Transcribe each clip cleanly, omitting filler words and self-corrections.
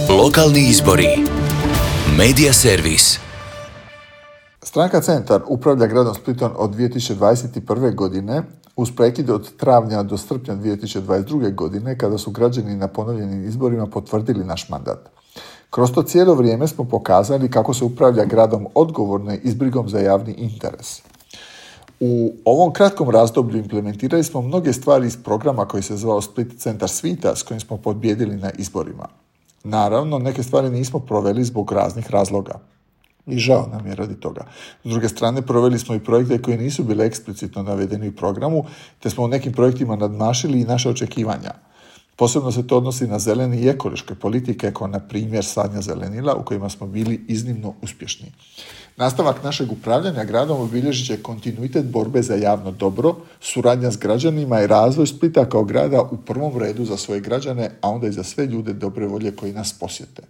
Lokalni izbori. Medija servis. Stranka Centar upravlja gradom Splitom od 2021. godine uz prekid od travnja do srpnja 2022. godine kada su građani na ponovljenim izborima potvrdili naš mandat. Kroz to cijelo vrijeme smo pokazali kako se upravlja gradom odgovorno i s brigom za javni interes. U ovom kratkom razdoblju implementirali smo mnoge stvari iz programa koji se zvao Split Centar svita s kojim smo pobijedili na izborima. Naravno, neke stvari nismo proveli zbog raznih razloga. I žao nam je radi toga. S druge strane, proveli smo i projekte koji nisu bili eksplicitno navedeni u programu, te smo u nekim projektima nadmašili i naše očekivanja. Posebno se to odnosi na zelene i ekološke politike, kao na primjer sadnja zelenila, u kojima smo bili iznimno uspješni. Nastavak našeg upravljanja gradom obilježit će kontinuitet borbe za javno dobro, suradnja s građanima i razvoj Splita kao grada u prvom redu za svoje građane, a onda i za sve ljude dobre volje koji nas posjete.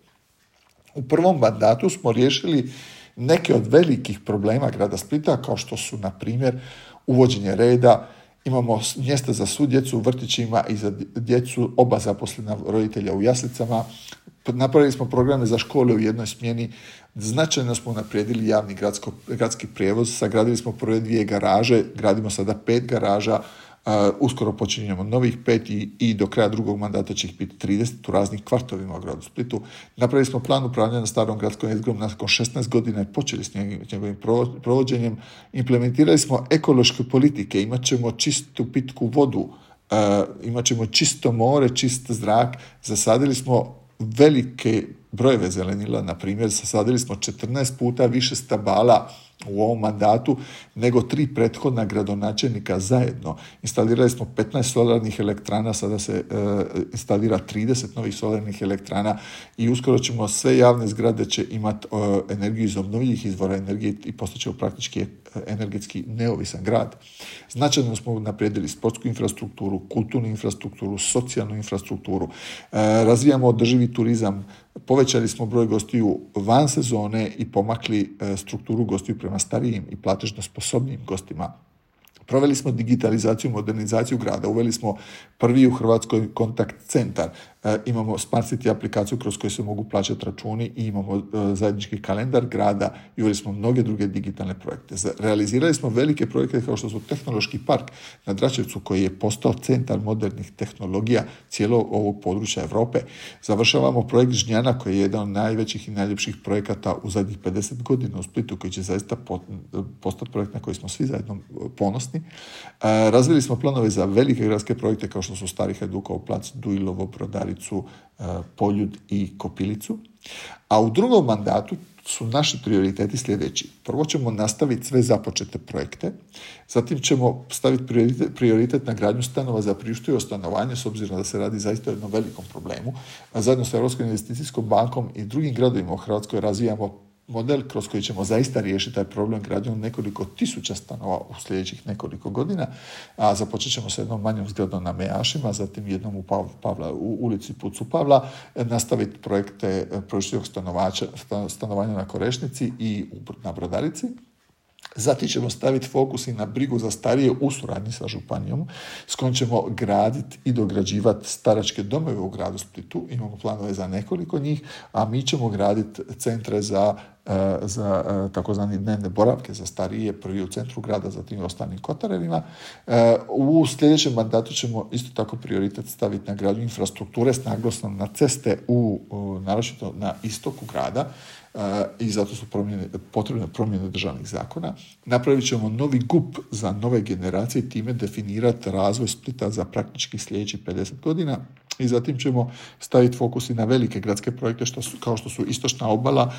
U prvom mandatu smo riješili neke od velikih problema grada Splita, kao što su, na primjer, uvođenje reda, imamo mjesta za svu djecu u vrtićima i za djecu oba zaposlena roditelja u jaslicama, napravili smo programe za škole u jednoj smjeni, značajno smo unaprijedili javni gradski prijevoz, sagradili smo prve 2 garaže, gradimo sada 5 garaža, uskoro počinjemo novih 5 i do kraja drugog mandata će ih biti 30 u raznih kvartovima u gradu Splitu. Napravili smo plan upravljanja starom gradskom jezgrom nakon 16 godina i počeli s njegovim provođenjem. Implementirali smo ekološke politike, imat ćemo čistu pitku vodu, imat ćemo čisto more, čist zrak, zasadili smo velike brojeve zelenila, na primjer, zasadili smo 14 puta više stabala u ovom mandatu nego 3 prethodna gradonačelnika zajedno. Instalirali smo 15 solarnih elektrana, sada se instalira 30 novih solarnih elektrana i uskoro ćemo sve javne zgrade će imati energiju iz obnovljivih izvora energije i postaćemo praktički energetski neovisan grad. Značajno smo naprijedili sportsku infrastrukturu, kulturnu infrastrukturu, socijalnu infrastrukturu, razvijamo održivi turizam, povećali smo broj gostiju van sezone i pomakli strukturu gostiju prema starijim i platežno sposobnim gostima. Proveli smo digitalizaciju, modernizaciju grada, uveli smo prvi u Hrvatskoj kontakt centar, imamo Smart City aplikaciju kroz koju se mogu plaćati računi i imamo zajednički kalendar grada i uveli smo mnoge druge digitalne projekte. Realizirali smo velike projekte kao što su Tehnološki park na Dračevcu koji je postao centar modernih tehnologija cijelog ovog područja Europe. Završavamo projekt Žnjana koji je jedan od najvećih i najljepših projekata u zadnjih 50 godina u Splitu koji će zaista postati projekt na koji smo svi zajedno ponosni. Razvili smo planove za velike gradske projekte kao što su Stari Hajdukov plac, Duilovo, Brodaricu, Poljud i Kopilicu. A u drugom mandatu su naši prioriteti sljedeći. Prvo ćemo nastaviti sve započete projekte, zatim ćemo staviti prioritet na gradnju stanova za priuštivo stanovanje, s obzirom da se radi zaista o jednom velikom problemu. A zajedno sa Europskom investicijskom bankom i drugim gradovima u Hrvatskoj razvijamo model kroz koji ćemo zaista riješiti taj problem gradnjom nekoliko tisuća stanova u sljedećih nekoliko godina, a započet ćemo sa jednom manjom zgradom na Mejašima, zatim jednom u ulici Pucu Pavla, nastaviti projekte priuštivog stanovanja na Korešnici i na Brodarici. Zatim ćemo staviti fokus i na brigu za starije u suradnji sa županijom, s kojom ćemo graditi i dograđivati staračke domove u gradu Splitu. Imamo planove za nekoliko njih, a mi ćemo graditi centre za takozvani dnevne boravke za starije, prvi u centru grada, zatim u ostalim kotarevima. U sljedećem mandatu ćemo isto tako prioritet staviti na gradnju infrastrukture s naglasom na ceste naročito na istoku grada, i zato su potrebne promjene državnih zakona. Napravit ćemo novi GUP za nove generacije i time definirati razvoj Splita za praktički sljedećih 50 godina. I zatim ćemo staviti fokus i na velike gradske projekte kao što su Istočna obala,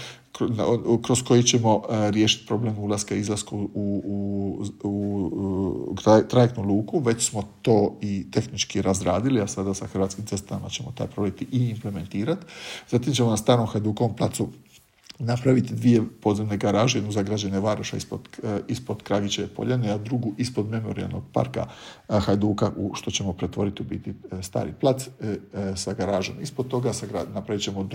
kroz koji ćemo riješiti problem ulaska i izlaska u trajektnu luku. Već smo to i tehnički razradili, a sada sa Hrvatskim cestama ćemo taj projekt i implementirati. Zatim ćemo na Starom Hajdukovom placu napraviti 2 podzemne garaže, jednu za građane Varoša ispod Kragićeve poljane, a drugu ispod memorijalnog parka Hajduka, što ćemo pretvoriti u biti stari plac sa garažom. Ispod toga napravit ćemo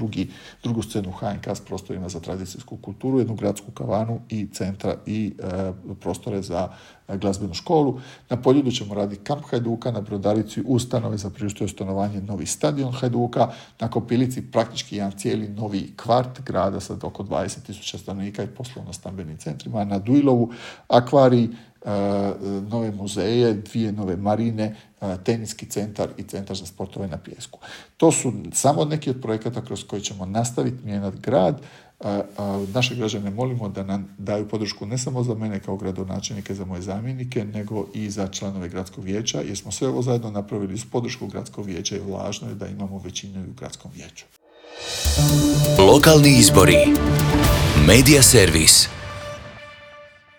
drugu scenu HNK s prostorima za tradicijsku kulturu, jednu gradsku kavanu i centra i prostore za glazbenu školu. Na Poljudu ćemo raditi kamp Hajduka, na Brodarici ustanove za priuštivo stanovanje, novi stadion Hajduka, na Kopilici praktički jedan cijeli novi kvart grada sa oko 20.000 stanovnika i poslovno-stambenim centrima, na Dujlovu akvarij, nove muzeje, 2 nove marine, teniski centar i centar za sportove na pijesku. To su samo neki od projekata kroz koji ćemo nastaviti mijenjati grad. Naše građane molimo da nam daju podršku ne samo za mene kao gradonačelnike, za moje zamjenike, nego i za članove gradskog vijeća, jer smo sve ovo zajedno napravili uz podršku gradskog vijeća i važno je da imamo većinu u gradskom vijeću. Lokalni izbori. Medija servis.